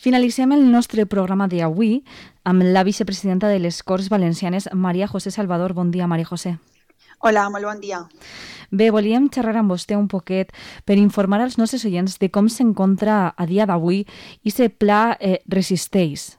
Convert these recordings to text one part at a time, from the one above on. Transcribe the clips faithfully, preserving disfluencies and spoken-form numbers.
Finalitzem el nostre programa d'avui amb la vicepresidenta de les Corts Valencianes, Maria José Salvador. Bon dia, Maria José. Hola, molt bon dia. Bé, volíem xerrar amb vostè un poquet per informar als nostres oients de com s'encontra a dia d'avui i aquest pla eh, Resisteix.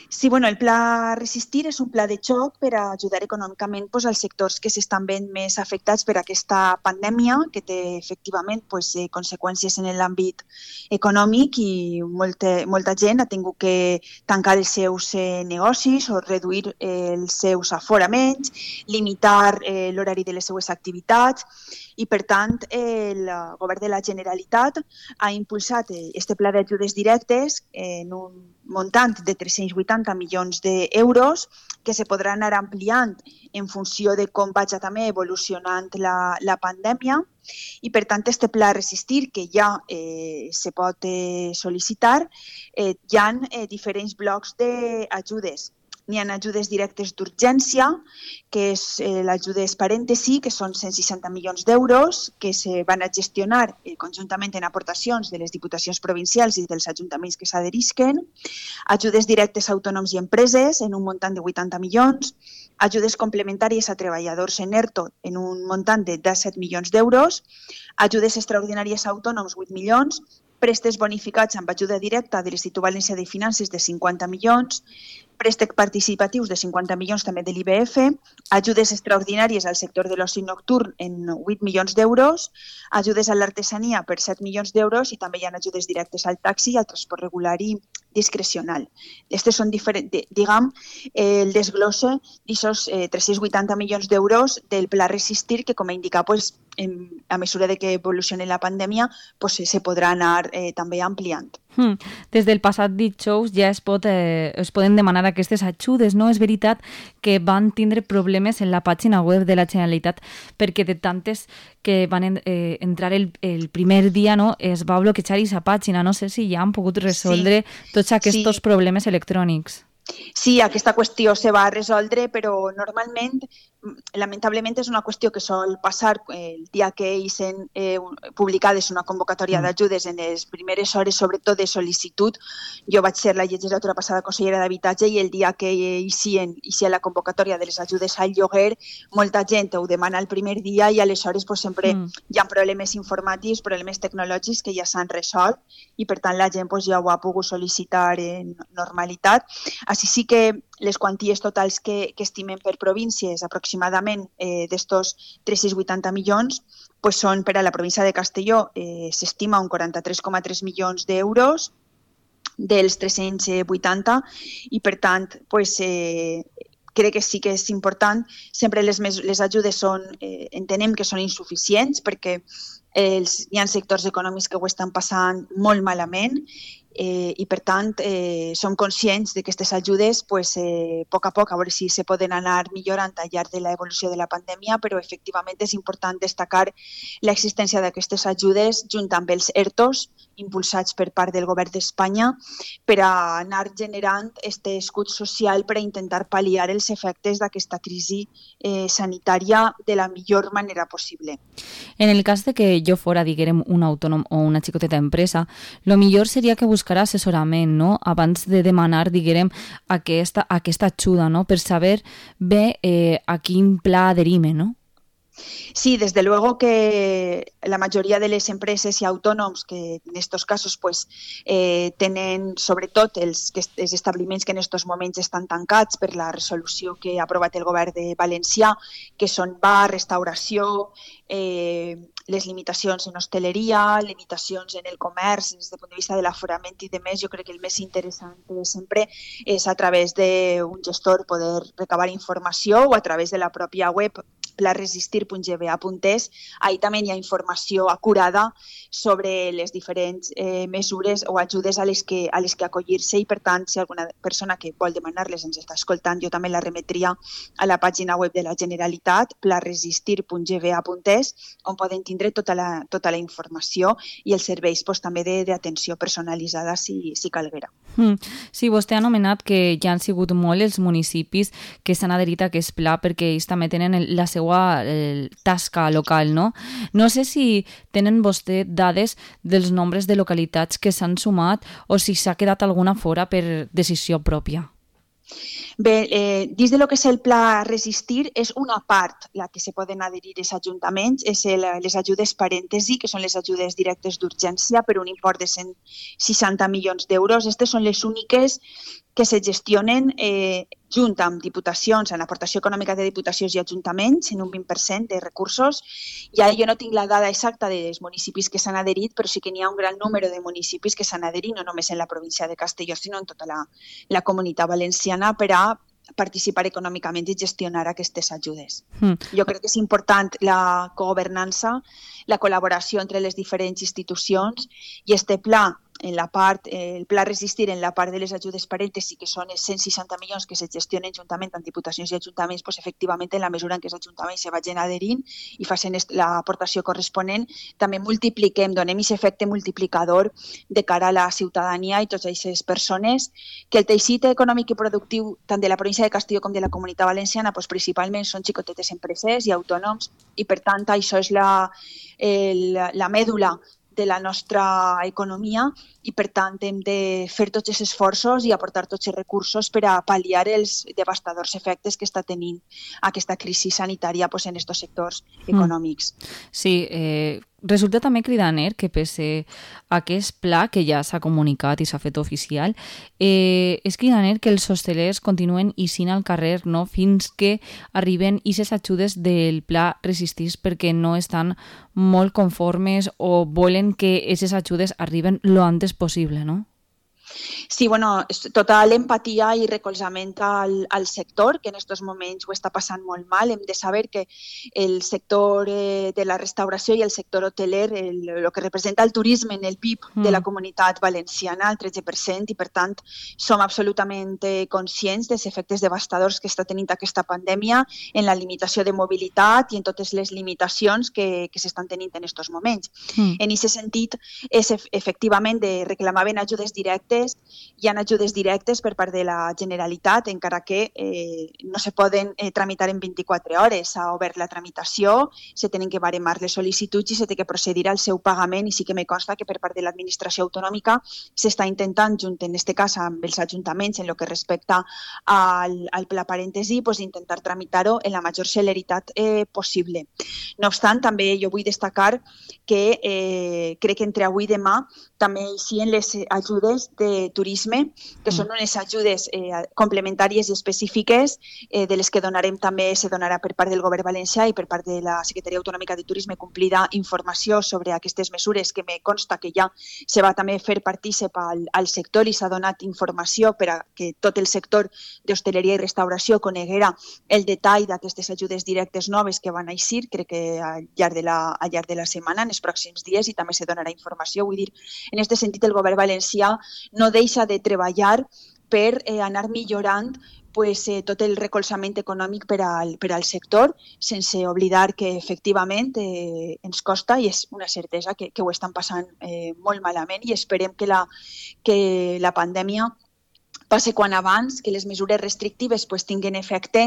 Sí, bueno, el pla Resistir és un pla de xoc per a ajudar econòmicament pues, als sectors que s'estan veient més afectats per aquesta pandèmia, que té efectivament pues, eh, conseqüències en l'àmbit econòmic i molta, molta gent ha tingut que tancar els seus eh, negocis o reduir eh, els seus aforaments, limitar eh, l'horari de les seues activitats i, per tant, eh, el govern de la Generalitat ha impulsat aquest eh, pla d'ajudes directes en un muntant de tres-cents vuitanta milions d'euros que se podran anar ampliant en funció de com vagi també evolucionant la, la pandèmia i, per tant, este pla Resistir, que ja eh, se pot eh, sol·licitar, eh, hi ha eh, diferents blocs d'ajudes. N'hi ha ajudes directes d'urgència, que és eh, l'ajudes parèntesi, que són cent seixanta milions d'euros, que se van a gestionar eh, conjuntament en aportacions de les diputacions provincials i dels ajuntaments que s'adherisquen, ajudes directes a autònoms i empreses en un muntant de vuitanta milions, ajudes complementàries a treballadors en ERTO en un muntant de disset milions d'euros, ajudes extraordinàries a autònoms vuit milions, préstecs bonificats amb ajuda directa de l'Institut Valencià de Finances de cinquanta milions, préstecs participatius de cinquanta milions també de l'I B F, ajudes extraordinàries al sector de l'oci nocturn en vuit milions d'euros, ajudes a l'artesania per set milions d'euros i també hi ha ajudes directes al taxi i al transport regular i discrecional. Aquestes són diferents, diguem, eh, el desglosse d'aquests eh, tres-cents vuitanta milions d'euros del pla Resistir, que, com he indicat, pues, en, a mesura de que evolucioni la pandèmia, pues, se podrà anar eh, també ampliant. Hmm. Des del passat dijous ja es, pot, eh, es poden demanar aquestes ajudes, no? És veritat que van tindre problemes en la pàgina web de la Generalitat perquè de tantes que van en, eh, entrar el, el primer dia, no, es va bloquejar aquesta pàgina. No sé si ja han pogut resoldre sí. tots aquests sí. problemes electrònics. Sí, aquesta qüestió se va resoldre, però normalment, lamentablement, és una qüestió que sol passar el dia que eixen eh, publicades una convocatòria d'ajudes en les primeres hores, sobretot de sol·licitud. Jo vaig ser la legislatura passada consellera d'Habitatge i el dia que eixien, eixia la convocatòria de les ajudes al lloguer, molta gent ho demana el primer dia i aleshores pues, sempre mm. hi ha problemes informàtics, problemes tecnològics que ja s'han resolt i per tant la gent pues, ja ho ha pogut sol·licitar en normalitat. Així sí que les quanties totals que, que estimem per províncies, aproximadament eh, d'estos tres-cents vuitanta milions, pues són per a la província de Castelló, eh, s'estima un quaranta-tres coma tres milions d'euros dels tres-cents vuitanta i, per tant, pues, eh, crec que sí que és important. Sempre les, les ajudes són, eh, entenem que són insuficients perquè els, hi ha sectors econòmics que ho estan passant molt malament Eh, i, per tant, eh, som conscients de que aquestes ajudes, pues, eh, a poc a poc, a veure si se poden anar millorant al llarg de l'evolució de la pandèmia, però efectivament és important destacar l'existència d'aquestes ajudes junt amb els ERTOs impulsats per part del govern d'Espanya per a anar generant aquest escut social per a intentar pal·liar els efectes d'aquesta crisi eh, sanitària de la millor manera possible. En el cas de que jo fora, diguem, un autònom o una xicoteta empresa, lo millor seria que buscar assessorament, no? Abans de demanar, diguem, aquesta, aquesta ajuda, no? Per saber bé eh, a quin pla adherim, no? Sí, desde luego que la mayoría de les empreses i autònoms que en estos casos pues, eh, tenen sobretot els, els establiments que en estos moments estan tancats per la resolució que ha aprovat el govern de Valencià, que són bar, restauració, eh, les limitacions en hostaleria, limitacions en el comerç, des del punt de vista de l'aforament i de més, jo crec que el més interessant sempre és a través d'un gestor poder recabar informació o a través de la pròpia web pla resistir punt g b a punt es. Ahí també hi ha informació acurada sobre les diferents eh, mesures o ajudes a les que, a les que acollir-se i, per tant, si alguna persona que vol demanar-les ens està escoltant, jo també la remetria a la pàgina web de la Generalitat, pla resistir punt g b a punt es, on poden tindre tota la, tota la informació i els serveis pues, també d'atenció personalitzada si, si calguera. Mm. Sí, vostè ha anomenat que ja han sigut molt els municipis que s'han adherit a aquest pla perquè ells també tenen el, la seva el, tasca local, no? No sé si tenen vostè dades dels nombres de localitats que s'han sumat o si s'ha quedat alguna fora per decisió pròpia. Bé, eh, dins de lo que és el pla Resistir, és una part la que se poden adherir els ajuntaments, és el, les ajudes parèntesi, que són les ajudes directes d'urgència per un import de cent seixanta milions d'euros. Aquestes són les úniques que se gestionen eh, junt amb diputacions, en aportació econòmica de diputacions i ajuntaments, en un vint per cent de recursos. I ara jo no tinc la dada exacta dels municipis que s'han adherit, però sí que n'hi ha un gran número de municipis que s'han adherit, no només en la província de Castelló, sinó en tota la, la comunitat valenciana, per a participar econòmicament i gestionar aquestes ajudes. Mm. Jo crec que és important la cogovernança, la col·laboració entre les diferents institucions i este pla, en la part, el pla Resistir en la part de les ajudes parèntesi, que són els cent seixanta milions que se gestionen juntament amb diputacions i ajuntaments, doncs efectivament en la mesura en què els ajuntaments se vagin adherint i facin l'aportació corresponent, també multipliquem, donem aquest efecte multiplicador de cara a la ciutadania i totes aquestes persones, que el teixit econòmic i productiu tant de la província de Castelló com de la comunitat valenciana doncs principalment són xicotetes empreses i autònoms i per tant això és la, el, la mèdula de la nostra economia i, per tant, hem de fer tots els esforços i aportar tots els recursos per a pal·liar els devastadors efectes que està tenint aquesta crisi sanitària pues, en aquests sectors econòmics. Sí, eh, resulta també cridaner que pese a aquest pla que ja s'ha comunicat i s'ha fet oficial, eh, és cridaner que els hostelers continuen ixint al carrer, no?, fins que arriben aquestes ajudes del pla Resistir perquè no estan molt conformes o volen que aquestes ajudes arriben lo antes possible, no? Sí, bueno, tota l'empatia i recolzament al, al sector, que en aquests moments ho està passant molt mal. Hem de saber que el sector eh, de la restauració i el sector hoteler, el, el que representa el turisme en el P I B mm. de la comunitat valenciana, el tretze per cent, i per tant som absolutament eh, conscients dels efectes devastadors que està tenint aquesta pandèmia en la limitació de mobilitat i en totes les limitacions que, que s'estan tenint en aquests moments. Mm. En aquest sentit, és efectivament de reclamaven ajudes directes. Hi ha ajudes directes per part de la Generalitat, encara que eh, no se poden eh, tramitar en vint-i-quatre hores. S'ha obert la tramitació, se tenen que baremar les sol·licituds i se té que procedir al seu pagament, i sí que me consta que per part de l'administració autonòmica s'està intentant, junt en aquest cas amb els ajuntaments, en el que respecta al, al pla parèntesi, pues, intentar tramitar-ho en la major celeritat eh, possible. No obstant, també jo vull destacar que eh, crec que entre avui i demà també hi ha les ajudes de turisme, que són unes ajudes eh, complementàries i específiques eh, de les que donarem també, se donarà per part del Govern valencià i per part de la Secretaria Autonòmica de Turisme complida informació sobre aquestes mesures, que me consta que ja se va també fer partícip al, al sector i s'ha donat informació per a que tot el sector d'hostaleria i restauració coneguera el detall d'aquestes ajudes directes noves que van eixir, crec que al llarg de la, al llarg de la setmana, en els pròxims dies, i també se donarà informació. Vull dir, en aquest sentit, el Govern valencià no deixa de treballar per eh, anar millorant pues, eh, tot el recolzament econòmic per al, per al sector, sense oblidar que efectivament eh, ens costa i és una certesa que, que ho estan passant eh, molt malament, i esperem que la, que la pandèmia passe quan abans, que les mesures restrictives pues, tinguin efecte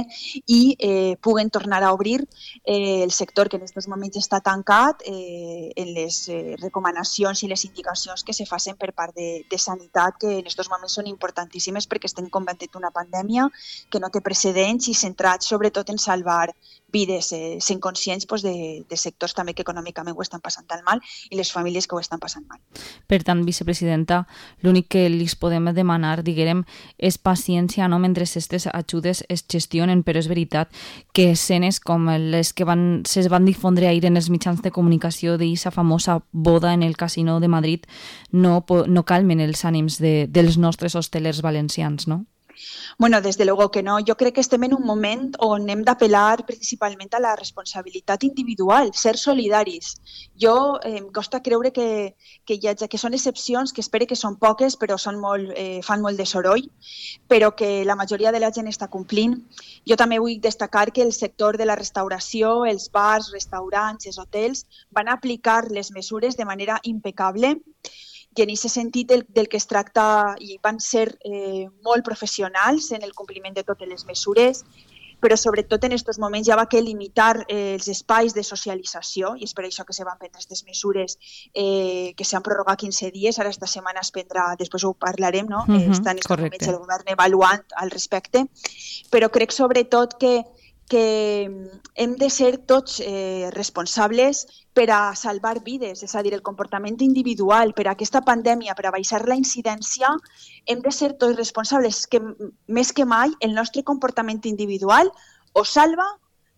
i eh, puguen tornar a obrir eh, el sector que en aquests moments està tancat eh, en les eh, recomanacions i les indicacions que se facin per part de, de sanitat, que en aquests moments són importantíssimes perquè estem combatent una pandèmia que no té precedents i centrats sobretot en salvar vides, eh, sent conscients pues, de, de sectors també que econòmicament ho estan passant tan mal i les famílies que ho estan passant mal. Per tant, vicepresidenta, l'únic que li podem demanar, diguem, és paciència, no?, mentre aquestes ajudes es gestionen, però és veritat que escenes com les que van, se van difondre ahir en els mitjans de comunicació d'aquesta famosa boda en el Casino de Madrid no, no calmen els ànims de, dels nostres hostelers valencians, no? Bueno, desde luego que no. Yo creo que estem en un moment on hem d'apel·lar principalment a la responsabilitat individual, ser solidaris. Jo eh, em costa creure que, que, hi ha, que són excepcions, que espero que són poques, però són molt, eh, fan molt de soroll, però que la majoria de la gent està complint. Jo també vull destacar que el sector de la restauració, els bars, restaurants, els hotels, van aplicar les mesures de manera impecable I en aquest sentit del, del que es tracta, i van ser eh, molt professionals en el compliment de totes les mesures, però sobretot en aquests moments ja va que limitar eh, els espais de socialització, i és per això que se van prendre aquestes mesures eh, que s'han prorrogat quinze dies, ara esta setmana es prendrà, després ho parlarem, no? Uh -huh, Està en aquests correcte. moments el govern avaluant al respecte, però crec sobretot que que hem de ser tots eh, responsables per a salvar vides, és a dir, el comportament individual, per a aquesta pandèmia, per a baixar la incidència, hem de ser tots responsables, que més que mai el nostre comportament individual o salva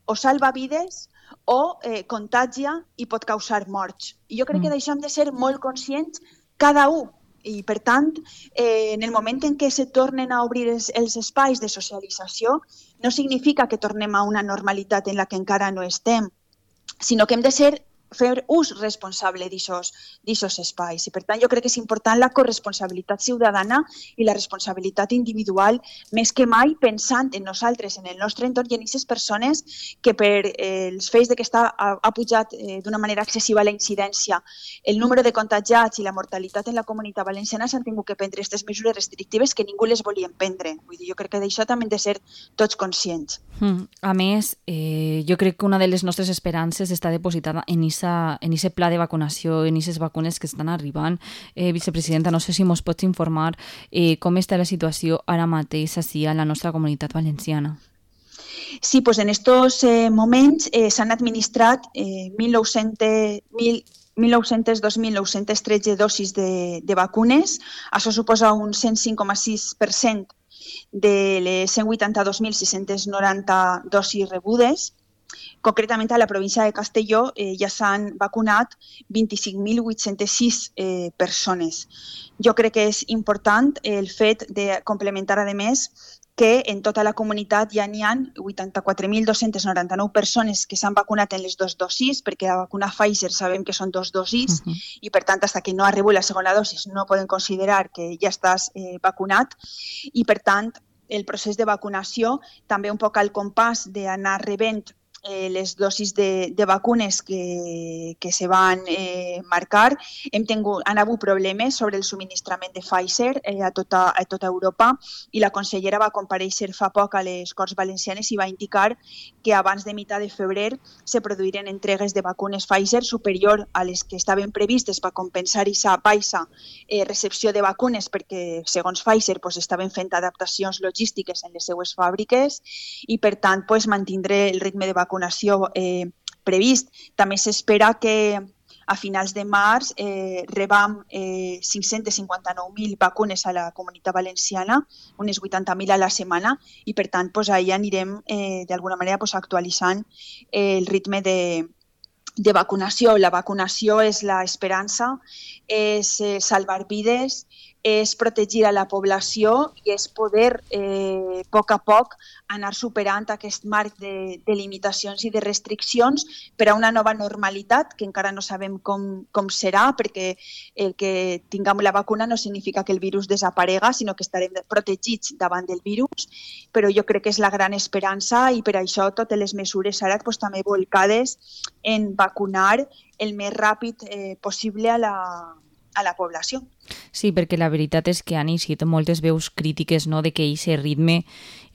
o salva vides o eh, contagia i pot causar morts. I jo crec que d'això hem de ser molt conscients cada un. I, per tant, eh, en el moment en què se tornen a obrir els, els espais de socialització, no significa que tornem a una normalitat en la que encara no estem, sinó que hem de ser fer ús responsable d'aquests espais. I, per tant, jo crec que és important la corresponsabilitat ciutadana i la responsabilitat individual, més que mai pensant en nosaltres, en el nostre entorn i en aquestes persones que per eh, els fets de que està, ha, ha pujat eh, d'una manera excessiva la incidència, el número de contagiats i la mortalitat en la comunitat valenciana s'han tingut que prendre aquestes mesures restrictives que ningú les volien prendre. Vull dir, jo crec que d'això també hem de ser tots conscients. Mm. A més, eh, jo crec que una de les nostres esperances està depositada en aquesta en aquest pla de vacunació, en aquestes vacunes que estan arribant. Eh, vicepresidenta, no sé si ens pots informar eh, com està la situació ara mateix així a la nostra comunitat valenciana. Sí, pues en estos eh, moments eh, s'han administrat eh, mil nou-cents dos mil nou-cents tretze dosis de, de vacunes. Això suposa un cent cinc coma sis per cent de les cent vuitanta-dos mil sis-cents noranta dosis rebudes. Concretament, a la província de Castelló eh, ja s'han vacunat vint-i-cinc mil vuit-cents sis eh, persones. Jo crec que és important el fet de complementar, a més, que en tota la comunitat ja n'hi ha vuitanta-quatre mil dos-cents noranta-nou persones que s'han vacunat en les dues dosis, perquè la vacuna Pfizer sabem que són dos dosis, uh-huh. i per tant, fins que no arribi la segona dosis no poden considerar que ja estàs eh, vacunat, i per tant, el procés de vacunació també un poc al compàs d'anar rebent Eh, les dosis de, de vacunes que, que se van eh, marcar. Hem tingut, han hagut problemes sobre el subministrament de Pfizer eh, a, tota, a tota Europa, i la consellera va comparèixer fa poc a les Corts Valencianes i va indicar que abans de mitjà de febrer se produiren entregues de vacunes Pfizer superior a les que estaven previstes per compensar aquesta baixa eh, recepció de vacunes, perquè segons Pfizer pues, estaven fent adaptacions logístiques en les seues fàbriques, i per tant pues, mantindre el ritme de vacunació vacunació eh, previst. També s'espera que a finals de març eh, rebam eh, cinc-cents cinquanta-nou mil vacunes a la comunitat valenciana, unes vuitanta mil a la setmana, i per tant pues, ahir anirem eh, d'alguna manera pues, actualitzant eh, el ritme de, de vacunació. La vacunació és l'esperança, és eh, salvar vides, és protegir a la població i és poder eh, a poc a poc anar superant aquest marc de, de limitacions i de restriccions per a una nova normalitat que encara no sabem com, com serà, perquè el que tinguem la vacuna no significa que el virus desaparega, sinó que estarem protegits davant del virus, però jo crec que és la gran esperança, i per això totes les mesures ara pues, també volcades en vacunar el més ràpid eh, possible a la a la població. Sí, perquè la veritat és que han eixit moltes veus crítiques, no?, de que aquest ritme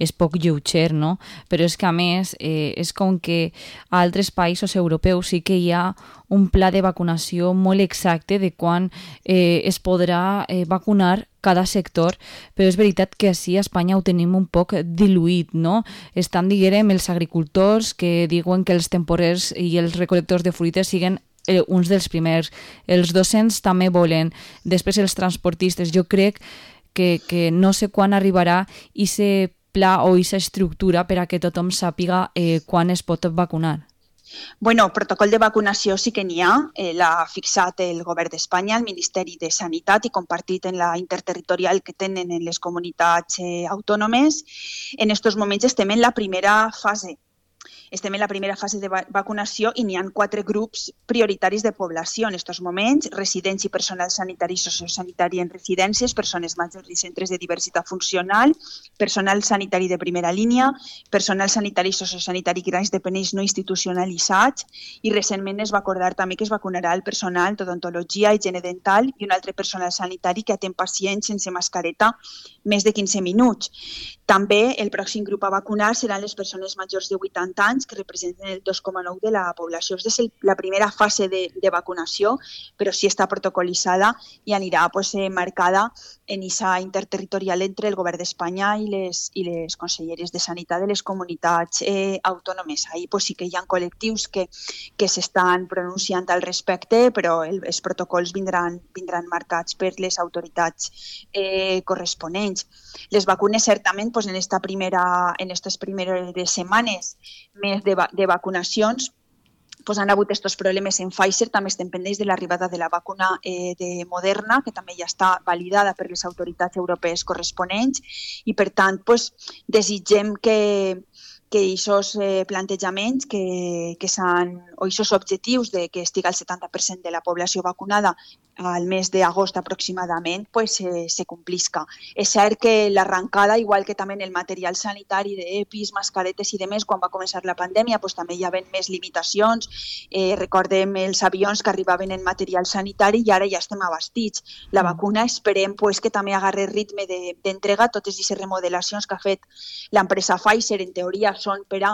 és poc lleuger, no? Però és que, a més, eh, és com que a altres països europeus sí que hi ha un pla de vacunació molt exacte de quan eh, es podrà eh, vacunar cada sector, però és veritat que així a Espanya ho tenim un poc diluït, no? Estan, diguem, els agricultors que diuen que els temporers i els recol·lectors de fruites siguen Eh, uns dels primers, els docents també volen, després els transportistes. Jo crec que, que no sé quan arribarà aquest pla o aquesta estructura per a que tothom sàpiga eh, quan es pot vacunar. Bueno, protocol de vacunació sí que n'hi ha, eh, l'ha fixat el Govern d'Espanya, el Ministeri de Sanitat, i compartit en la interterritorial que tenen en les comunitats eh, autònomes. En aquests moments estem en la primera fase. estem en la primera fase de va vacunació i n'hi ha quatre grups prioritaris de població en aquests moments: residents i personal sanitari i sociosanitari en residències, persones majors i centres de diversitat funcional, personal sanitari de primera línia, personal sanitari i sociosanitari i grans dependents no institucionalitzats, i recentment es va acordar també que es vacunarà el personal d'odontologia, higiene dental i un altre personal sanitari que atén pacients sense mascareta més de quinze minuts. També el pròxim grup a vacunar seran les persones majors de vuitanta anys, que representen el dos coma nou de la població. Aquesta és la primera fase de, de vacunació, però sí està protocolitzada i anirà pues, eh, marcada en aquesta interterritorial entre el Govern d'Espanya i les, i les conselleries de Sanitat de les comunitats eh, autònomes. Ahí pues, sí que hi ha col·lectius que, que s'estan pronunciant al respecte, però el, els protocols vindran, vindran marcats per les autoritats eh, corresponents. Les vacunes, certament, pues, en esta primera, en estas primeres setmanes més de, va, de vacunacions, pues, han hagut aquests problemes en Pfizer. També estem pendents de l'arribada de la vacuna eh, de Moderna, que també ja està validada per les autoritats europees corresponents, i per tant pues, desitgem que que aquests eh, plantejaments que, que s'han, o aquests objectius de que estigui el setanta per cent de la població vacunada al mes d'agost aproximadament, pues, eh, se complisca. És cert que l'arrencada, igual que també en el material sanitari d'EPIs, mascaretes i demés, quan va començar la pandèmia, pues, també hi havia més limitacions. Eh, recordem els avions que arribaven en material sanitari i ara ja estem abastits. La vacuna esperem pues, que també agarre ritme d'entrega. Totes aquestes remodelacions que ha fet l'empresa Pfizer, en teoria, són per a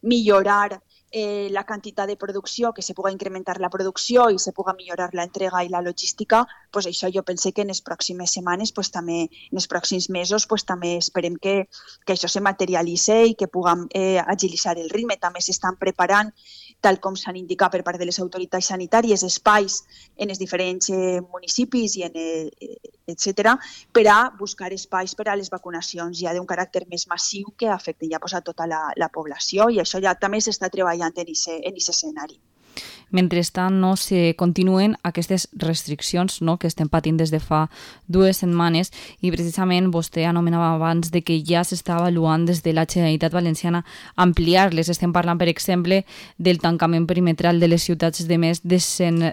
millorar eh, la quantitat de producció, que se pugui incrementar la producció i se pugui millorar l'entrega i la logística. Pues això jo pense que en les pròximes setmanes, pues, també, en els pròxims mesos, pues, també esperem que, que això se materialitzi i que puguem eh, agilitzar el ritme. També s'estan preparant, tal com s'han indicat per part de les autoritats sanitàries, espais en els diferents eh, municipis i en el, etcètera, per a buscar espais per a les vacunacions ja d'un caràcter més massiu que afecten ja pues, a tota la, la població, i això ja també s'està treballant en aquest escenari. Mentrestant, no, se continuen aquestes restriccions, no, que estem patint des de fa dues setmanes, i precisament vostè anomenava abans de que ja s'està avaluant des de la Generalitat Valenciana ampliar-les. Estem parlant, per exemple, del tancament perimetral de les ciutats de més de,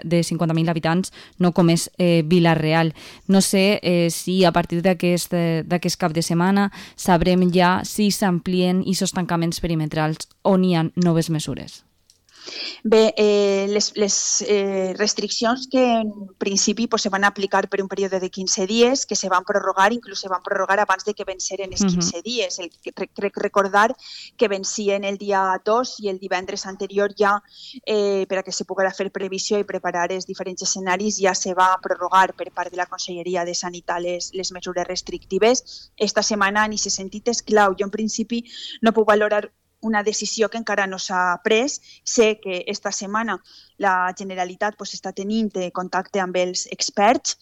de cinquanta mil habitants, no com és eh, Vila-real. No sé eh, si a partir d'aquest d'aquest cap de setmana sabrem ja si s'amplien aquests tancaments perimetrals o n'hi ha noves mesures. Bé, eh, les, les eh, restriccions que en principi pues, se van aplicar per un període de quinze dies, que se van prorrogar, inclús se van prorrogar abans de que venceren els quinze uh-huh. dies. El, crec recordar que vencien el dia dos i el divendres anterior ja, eh, per a que se poguera fer previsió i preparar els diferents escenaris, ja se va prorrogar per part de la Conselleria de Sanitat les, les mesures restrictives. Esta setmana, en aquest sentit, és clau. Jo, en principi, no puc valorar una decisió que encara no s'ha pres. Sé que esta setmana la Generalitat pues, està tenint contacte amb els experts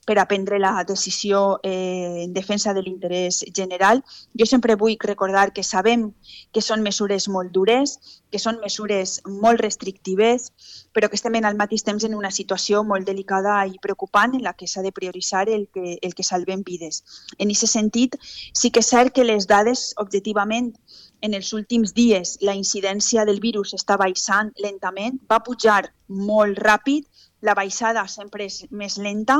per a prendre la decisió eh, en defensa de l'interès general. Jo sempre vull recordar que sabem que són mesures molt dures, que són mesures molt restrictives, però que estem al mateix temps en una situació molt delicada i preocupant en la que s'ha de prioritzar el que, el que salvem vides. En aquest sentit, sí que és cert que les dades, objectivament, en els últims dies la incidència del virus està baixant lentament, va pujar molt ràpid, la baixada sempre és més lenta,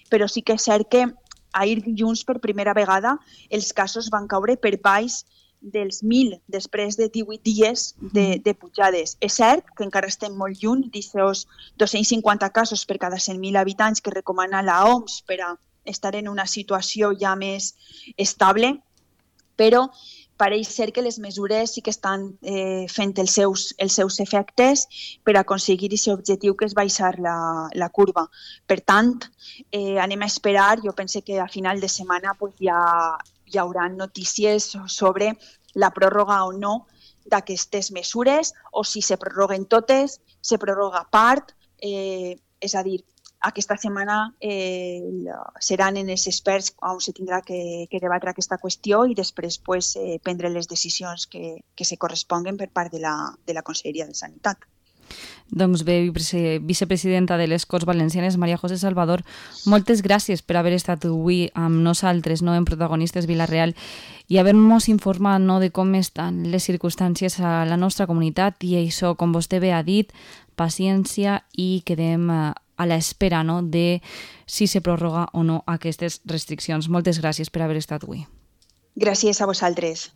però sí que és cert que ahir dilluns per primera vegada els casos van caure per baix dels mil després de divuit dies de, de pujades. És cert que encara estem molt lluny d'aquests dos-cents cinquanta casos per cada cent mil habitants que recomana la O M S per a estar en una situació ja més estable, però pareix ser que les mesures sí que estan eh, fent els seus, els seus efectes per aconseguir aquest objectiu que és baixar la, la curva. Per tant, eh, anem a esperar. Jo penso que a final de setmana pues, ja hi haurà notícies sobre la pròrroga o no d'aquestes mesures, o si se prorroguen totes, se prorroga part, eh, és a dir, aquesta setmana eh, seran en els experts on se tindrà que, que debatre aquesta qüestió i després pues, eh, prendre les decisions que, que se corresponguen per part de la, de la Conselleria de Sanitat. Doncs bé, vicepresidenta de les Corts Valencianes, Maria José Salvador, moltes gràcies per haver estat avui amb nosaltres, no, en Protagonistes Vila-real, i haver-nos informat, no, de com estan les circumstàncies a la nostra comunitat, i això, com vostè bé ha dit, paciència, i quedem a l'espera, no, de si se prorroga o no aquestes restriccions. Moltes gràcies per haver estat avui. Gràcies a vosaltres.